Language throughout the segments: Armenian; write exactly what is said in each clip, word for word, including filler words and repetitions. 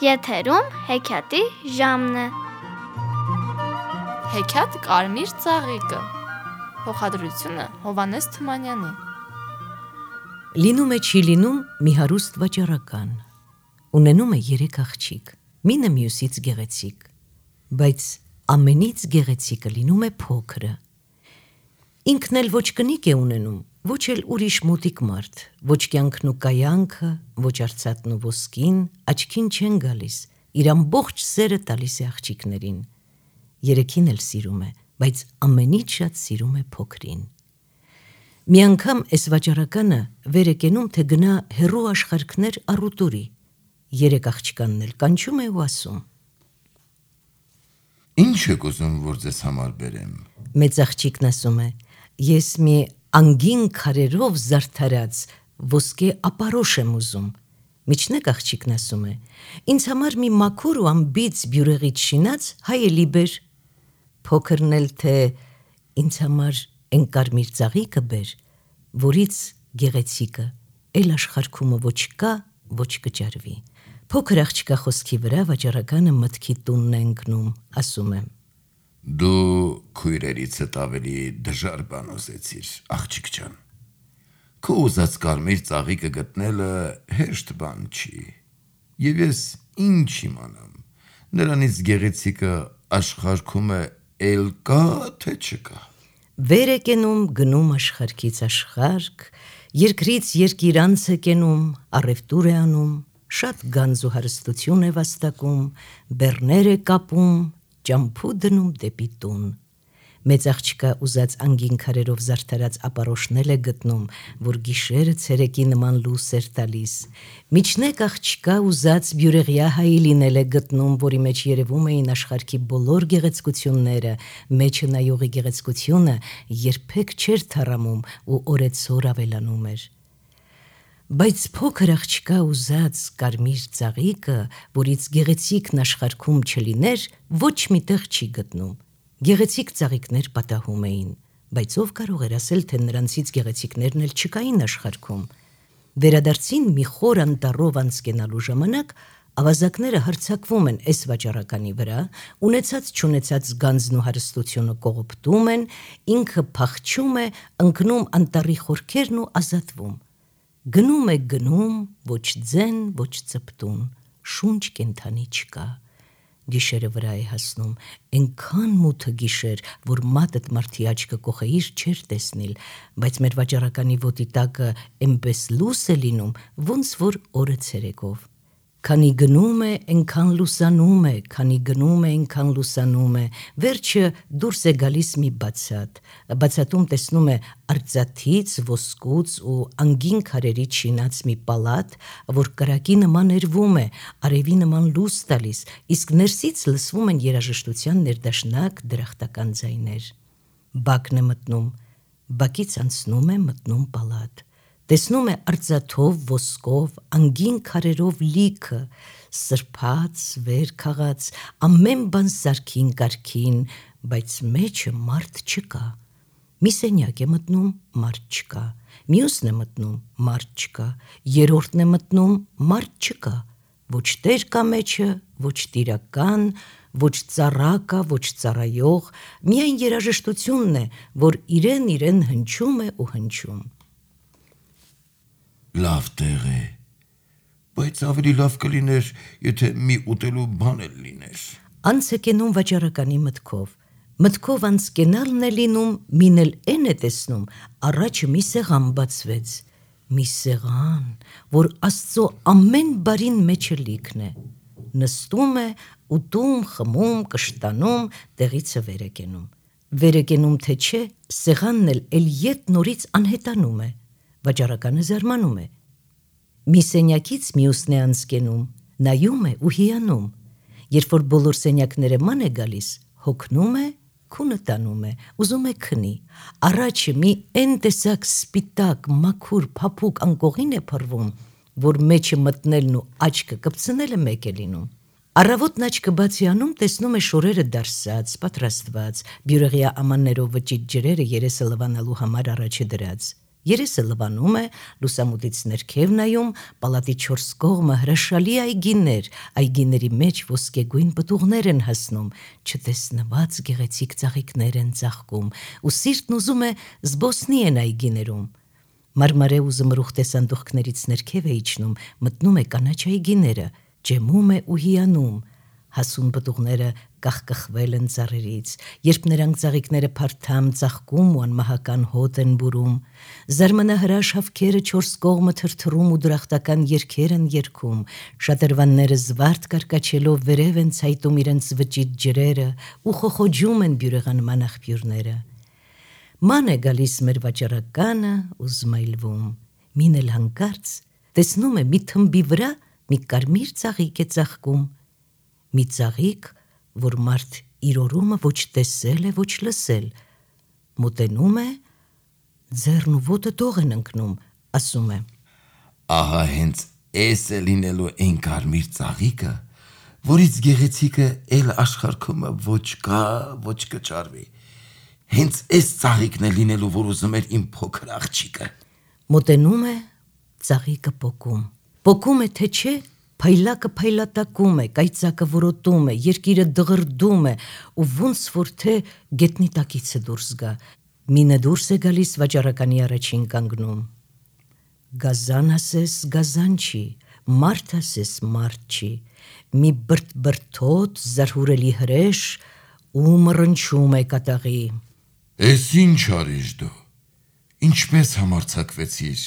Եթերում հեքիաթի ժամն է։ Հեքիաթ Կարմիր ծաղիկը։ Փոխադրությունը Հովհաննես Թումանյանի։ Լինում է չի լինում մի հարուստ վաճառական, ունենում է երեք աղջիկ, մինը մյուսից գեղեցիկ, բայց ամենից գեղեցիկը լինում է փոքրը։ Ինքն էլ ոչ կնիկ է ունենում, ոչ էլ ուրիշ մոտիկ մարդ, ոչ կյանքն ու կայանքը, ոչ արծաթն ու ոսկին, աչքին չեն գալիս, իր ամբողջ սերը տալիս է աղջիկներին։ Երեքին էլ սիրում է, բայց ամենից շատ սիրում է փոքրին։ Մի անգամ էս վաճառականը վեր է կենում, թե գնա հեռու աշխարհքներ առուտուրի, երեք աղջկանն էլ կանչում է ու ասում. Ինչ եք ուզում, որ ձեզ համար բերեմ։ Մեծ աղջիկն ասում է. Ես մի անգին քարերով զարդարած ոսկե ապարոշ եմ ուզում։ Միջնեկ աղջիկն ասում է. Ինձ համար մի մաքուր ու ամբից բյուրեղից շինած հայելի բեր։ Փոքրն էլ թե ինձ համար են կարմիր ծաղիկը բեր, որից գեղեցիկը էլ աշխարհքումը ոչ կա, ոչ կճարվի։ Փոքր աղջկա խոսքի վրա վաճառականը մտքի տունն է ընկնում, ասում է. Դու քույրերիցդ ավելի դժար բան ուզեցիր, աղջիկ ջան։ Քո ուզած կարմիր ծաղիկը գտնելը հեշտ բան չի, եւ ես ինչ իմանամ, նրանից գեղեցիկը աշխարհքում է էլ կա, թե չկա։ Վեր է կենում, գնում աշխարհքից աշխարհք, երկրից երկիր անց է կենում, առևտուր է անում, շատ գանձ ու հարստություն է վաստակում, բեռներ է կապում, ճամփու դնում դեպի տուն։ Մեծ աղջկա ուզած անգին քարերով զարդարած ապարոշնել է գտնում, որ գիշերը ցերեկի նման լույս էր տալիս։ Միջնեկ աղջկա ուզած բյուրեղյա հայելին է գտնում, որի մեջ երևում էին աշխարհքի բոլոր գեղեցկությունները, մեջը նայողի գեղեցկությունը երբեք չէր թառամում ու օրեցօր ավելանում էր։ Բայց փոքր աղջկա ուզած կարմիր ծաղիկը, որից գեղեցիկն աշխարհքում չլիներ, ոչ միտեղ չի գտնում։ Գեղեցիկ ծաղիկներ պատահում էին, բայց ով կարող էր ասել, թե նրանցից գեղեցիկներն էլ չկային աշխարհքում։ Վերադարձին մի խոր անտառով անցկենալու ժամանակ ավազակները հարձակվում են այս վաճառականի վրա, ունեցած չունեցած գանձն ու հարստությունը կողոպտում են, ինքը փախչում է, ընկնում անտառի խորքերն ու ազատվում։ Գնում է գնում, ոչ ձեն, ոչ ծպտուն, շունչ կենթանի չկա։ Գիշերը վրա է հասնում, այնքան մութը գիշեր, որ մատդ մարդի աչքը կողեիր չէր տեսնիլ, բայց մեր վաճառականի ոտի տակը այնպես լույս է լինում, ոնց որ օրը ցերեկով։ Քանի գնում է, այնքան լուսանում է, քանի գնում է, այնքան լուսանում է, վերջը դուրս է գալիս մի բացատ, բացատում տեսնում է արծաթից, ոսկուց ու անգին քարերից շինած մի պալատ, որ կրակի նման էրվում է, արևի նման լույս տալիս, իսկ ներսից լսվում են երաժշտության ներդաշնակ դրախտական ձայներ։ Բակն է մտնում, բակից անցնում է, մտնում պալատ։ Տեսնում է արծաթով, ոսկով, անգին քարերով լիքը, սրբած, վեր քաղած, ամեն բան սարքին կարգին, բայց մեջը մարդ չկա։ Մի սենյակ է մտնում, մարդ չկա, մյուսն է մտնում, մարդ չկա, երրորդն է մտնում, մարդ չկա, ոչ տեր կա մեջը, ոչ տիրական, ոչ ծառա կա, ոչ ծառայող, միայն երաժշտությունն է, որ իրեն իրեն հնչում է ու հնչում։ Լավ տեղ է, բայց ավելի լավ կլիներ, եթե մի ուտելու բան էլ լիներ։ Անց է կենում վաճառականի մտքով, մտքով անց կենալն է լինում, մին էլ են է տեսնում, առաջը մի սեղան բացվեց, մի սեղան, որ Աստծո ամեն բարին մեջը լիքն է, նստում է, ուտում, խմում, կշտանում, տեղիցը վեր է կենում։ Վեր է կենում, թե չէ, սեղանն էլ էլ ետ նորից անհետանում է, վաճառականը զարմանում է։ Մի սենյակից մյուսն է անցկենում, նայում է ու հիանում։ Երբ որ բոլոր սենյակները ման է գալիս, հոգնում է, քունը տանում է, ուզում է քնի։ Առաջը մի են տեսակ սպիտակ, մաքուր, փափուկ անկողին է փռվում, որ մեջը մտնելն ու աչքը կպցնելը մեկ է լինում։ Առավոտն աչքը բացի անում, տեսնում է շորերը դարսած, պատրաստված, բյուրեղյա ամաններով վճիտ ջրերը երեսը լվանալու համար առաջը դրած։ Երեսը լվանում է, լուսամուտից ներքև նայում, պալատի չորս կողմը հրաշալի այգիներ, այգիների մեջ ոսկեգույն պտուղներ են հասնում, չտեսնված գեղեցիկ ծաղիկներ են ծաղկում, ու սիրտն ուզում է զբոսնի են այգիներում։ Մարմարե ու զմրուխ տեսանդուխքներից ներքև է իջնում, մտնում է կանաչ այգիները, ջեմում է ու հիանում։ Հասուն պտուղները կախկխվել են ծառերից, երբ նրանք ծաղիկները փարթամ ծաղկում ու անմահական հոտ են բուրում, զարմանահրաշ հավքերը չորս կողմը թրթռում ու դրախտական երգեր են երգում, շատրվանները զվարթ կարկաչելով վերև են ցայտում իրենց վճիտ ջրերը ու խոխոջում են բյուրեղանման աղբյուրները։ Ման է գալիս մեր վաճառականը ու զմայլվում, մին էլ հանկարծ տեսնում է մի թմբի վրա մի կարմիր ծաղիկ է ծաղկում, մի ծաղիկ, որ մարդ իր օրումը ոչ տեսել է, ոչ լսել, մոտենում է, ձեռն ու ոտը տող են ընկնում, ասում է. Ահա հենց էս է լինելու այն կարմիր ծաղիկը, որից գեղեցիկը էլ աշխարհքումը ոչ կա, ոչ կճարվի։ Հենց էս ծաղիկն է լինելու, որ ուզում էր իմ փոքր աղջիկը։ Մոտենում է, ծաղիկը պոկում, պոկում է, թե չէ, փայլակը փայլատակում է, կայծակը որոտում է, երկիրը դղրդում է ու ոնց որ թե գետնի տակից է դուրս գա, մինը դուրս է գալիս վաճառականի առաջին կանգնում։ Գազան ասես գազան չի, մարդ ասես մարդ չի, մի բրտ-բրտոտ զարհուրելի հրեշ ու մռնչում է կատաղի։ Էս ինչ արիշ դու, ինչպես համարձակվեցիր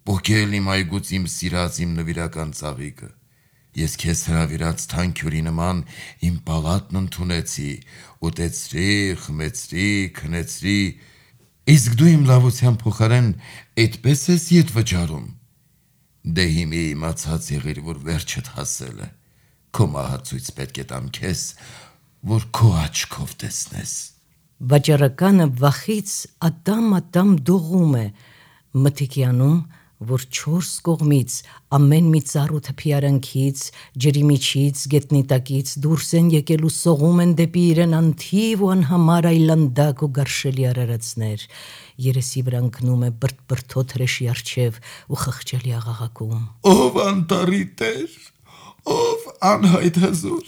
պոկել իմ այգուց իմ սիրած իմ նվիրական ծաղիկը, ես քեզ հրավիրած թանքյուրի նման իմ պալատն ընդունեցի, ուտեցրի, խմեցրի, քնեցրի, իսկ դու իմ լավության փոխարեն այդպես ես ետ վճարում, դե հիմի իմացած եղիր, որ վերջդ հասել է, քո մահացույց պետք է տամ քեզ, որ քո աչքով տեսնես։ Վաճառականը վախից ատամ-ատամ դողում է, մթիկի անում, որ չորս կողմից, ամեն մի ծառ ու թփի արանքից, ջրի միջից, գետնի տակից դուրս են եկել ու սողում են դեպի իրեն անթիվ ու անհամար այլանդակ ու գարշելի արարածներ, երեսի վրա ընկնում է բրտ-բրտոտ հրեշի առջև ու խղճալի աղաղակում. Ով անտարի տեր, ով անհայտ հզոր,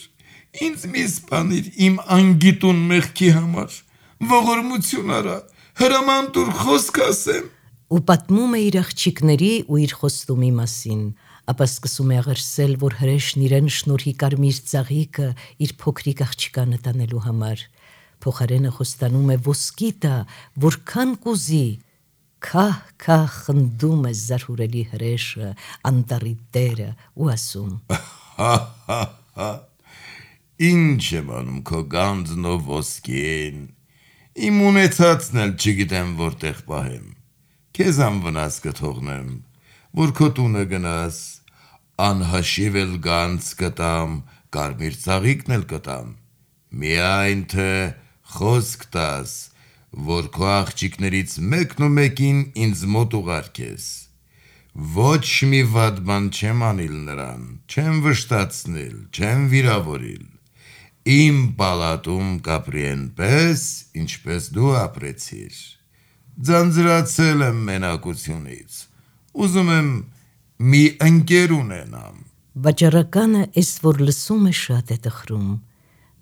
ինձ մի սպանիր իմ անգիտուն մեղքի համար, ողորմություն արա, հրաման տուր խոսք ասեմ։ Ու պատմում է իր աղջիկների ու իր խոստումի մասին, ապա սկսում է աղերսել, որ հրեշն իրեն շնորհի կարմիր ծաղիկը իր փոքրիկ աղջկանը տանելու համար, փոխարենը խոստանում է ոսկի տա, որքան կուզի, քահ-քահ խնդում է զարհուրելի հրեշը, անտառի տերը ու ասում. Հա-հա-հա, ինչ եմ անում քո գանձն ու ոսկին, իմ ունեցածն էլ չգիտեմ որտեղ պահեմ, քեզ անվնաս կթողնեմ, որ քո տունը գնաս, անհաշիվ էլ գանձ կտամ, կարմիր ծաղիկն էլ կտամ, միայն թե խոսք տաս, որ քո աղջիկներից մեկն ու մեկին ինձ մոտ ուղարկես, ոչ մի վատ բան չեմ անիլ նրան, չեմ վշտացնիլ, չեմ վիրավորիլ, իմ պալատում կապրի այնպես, ինչպես դու ապրեցիր, ձանձրացել եմ մենակությունից, ուզում եմ մի ընկեր ունենամ։ Վաճառականը էս որ լսում է շատ է տխրում,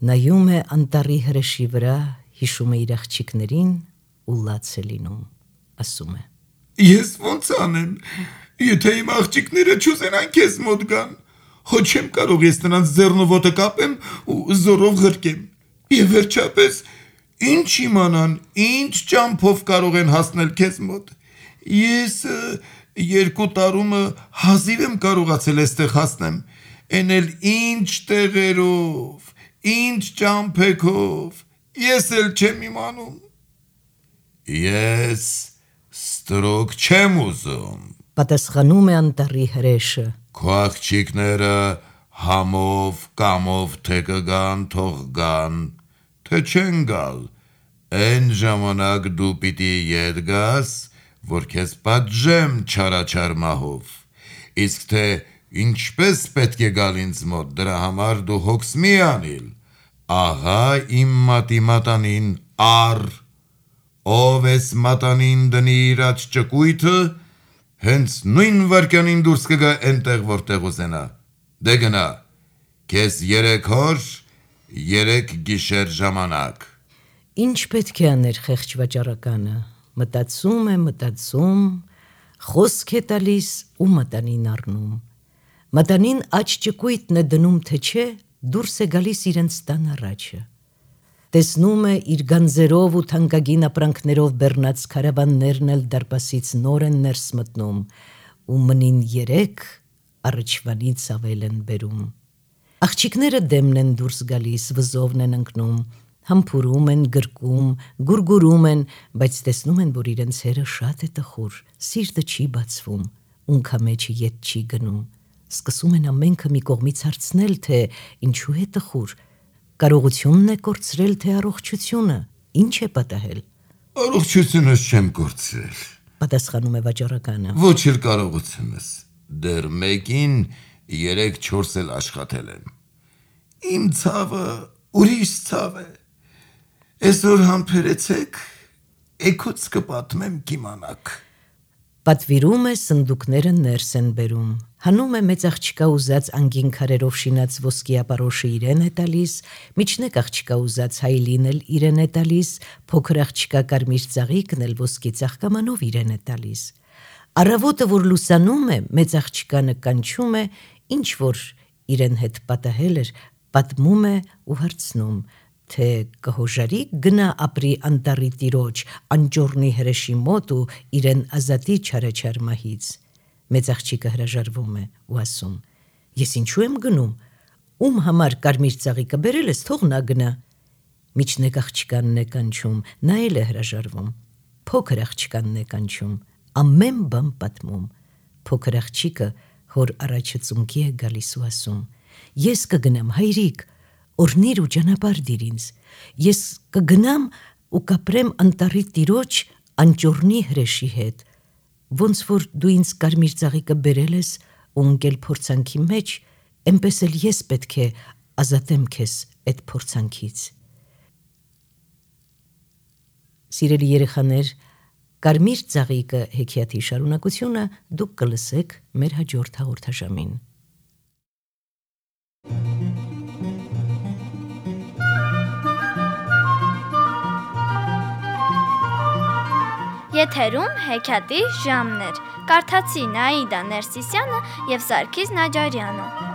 նայում է անտառի հրեշի վրա, հիշում է իր աղջիկներին ու լաց է լինում, ասում է. Ես ոնց անեմ, եթե իմ աղջիկները չուզենան քեզ մոտ գան, հո չեմ կարող ես նրանց ձեռն ու ոտը կապեմ ու զորով ղրկեմ, եւ վերջապես ինչ իմանան, ինչ ճամփով կարող են հասնել քեզ մոտ, ես երկու տարումը հազիվ եմ կարողացել այստեղ հասնեմ, են էլ ինչ տեղերով, ինչ ճամփեքով, ես էլ չեմ իմանում։ Ես ստրոկ չեմ ուզում, պատասխանում է անտառի հրեշը, քո աղջիկները համով, կամով թե կգան, թող գան, թե չեն գալ, այն ժամանակ դու պիտի ետ գաս, որ քեզ պատժեմ չարաչար մահով, իսկ թե ինչպես պետք է գալ ինձ մոտ, դրա համար դու հոգս մի անիլ, ահա իմ մատի մատանին առ Ով էս մատանին դնի իր աջ ճկույթը, հենց նույն վարքյանին դուրս կգա այնտեղ, որտեղ ուզենա։ Դե գնա, քեզ երեք օր, երեք գիշեր ժամանակ։ Ինչ պետք է աներ խեղճ վաճառականը։ Մտածում է, մտածում, խոսք է տալիս ու մատանին առնում։ Մատանին աջ ճկույթն է դնում, թե չէ, դուրս է գալիս իրենց տան առաջը։ Տեսնում է իր գանձերով ու թանկագին ապրանքներով բեռնած քարավաններն էլ դարպասից նոր են ներս մտնում ու մնին երեք առաջվանից ավել են բերում։ Աղջիկները դեմն են դուրս գալիս, վզովն են ընկնում, համբուրում են, գրկում, գուրգուրում են, բայց տեսնում են, որ իրենց հերը շատ է տխուր, սիրտը չի բացվում, ունքամեջը ետ չի գնում։ Սկսում են ամենքը մի կողմից հարցնել, թե ինչու է տխուր, կարողությունն է կորցրել, թե առողջությունը, ինչ է պատահել։ Առողջությունս չեմ կորցրել, Պատասխանում է վաճառականը։ ոչ էլ կարողությունս, դեռ մեկին երեք-չորս էլ աշխատել եմ։ Իմ ցավը ուրիշ ցավ է։ Այսօր համբերեցեք, էգուց կպատմեմ կիմանաք։ Պատվիրում է, սնդուկները ներս են բերում, հանում է մեծ աղջկա ուզած անգին քարերով շինած ոսկի ապարոշը իրեն է տալիս, միջնեկ աղջկա ուզած հայլին էլ իրեն է տալիս, փոքր աղջկա կարմիր ծաղիկն էլ ոսկի ծաղկամանով իրեն է տալիս։ Առավոտը, որ լուսանում է, մեծ աղջկանը կանչում է, ինչ որ իրեն հետ պատահել էր, պատմում է ու հարցնում, թե կհոժարի գնա ապրի անտառի տիրոջ, անճոռնի հրեշի մոտ ու իրեն ազատի չարաչար մահից։ Մեծ աղջիկը հրաժարվում է ու ասում. Ես ինչու եմ գնում, ում համար կարմիր ծաղիկը բերել ես, թող նա գնա։ Միջնեկ աղջկանն է կանչում, նա էլ է հրաժարվում։ Փոքր աղջկանն է կանչում, ամեն բան պատմում։ Փոքր աղջիկը հոր առաջը ծունկի է գալիս ու ասում. Ես կգնամ, հայրիկ, օրհնիր ու ճանապարհ դիր ինձ, ես կգնամ ու կապրեմ անտառի տիրոջ անճոռնի հրեշի հետ, ոնց որ դու ինձ կարմիր ծաղիկը բերել ես ու ընկել փորձանքի մեջ, էնպես էլ ես պետք է ազատեմ քեզ այդ փորձանքից։ Սիրելի երեխաներ, կարմիր ծաղիկը հեքիաթի շարունակությունը դուք կլսեք մեր հաջորդ հաղորդաշարին։ Եթերում հեքիաթի ժամն էր։ Կարդացին Աիդա Ներսիսյանը և Սարգիս Նաջարյանը։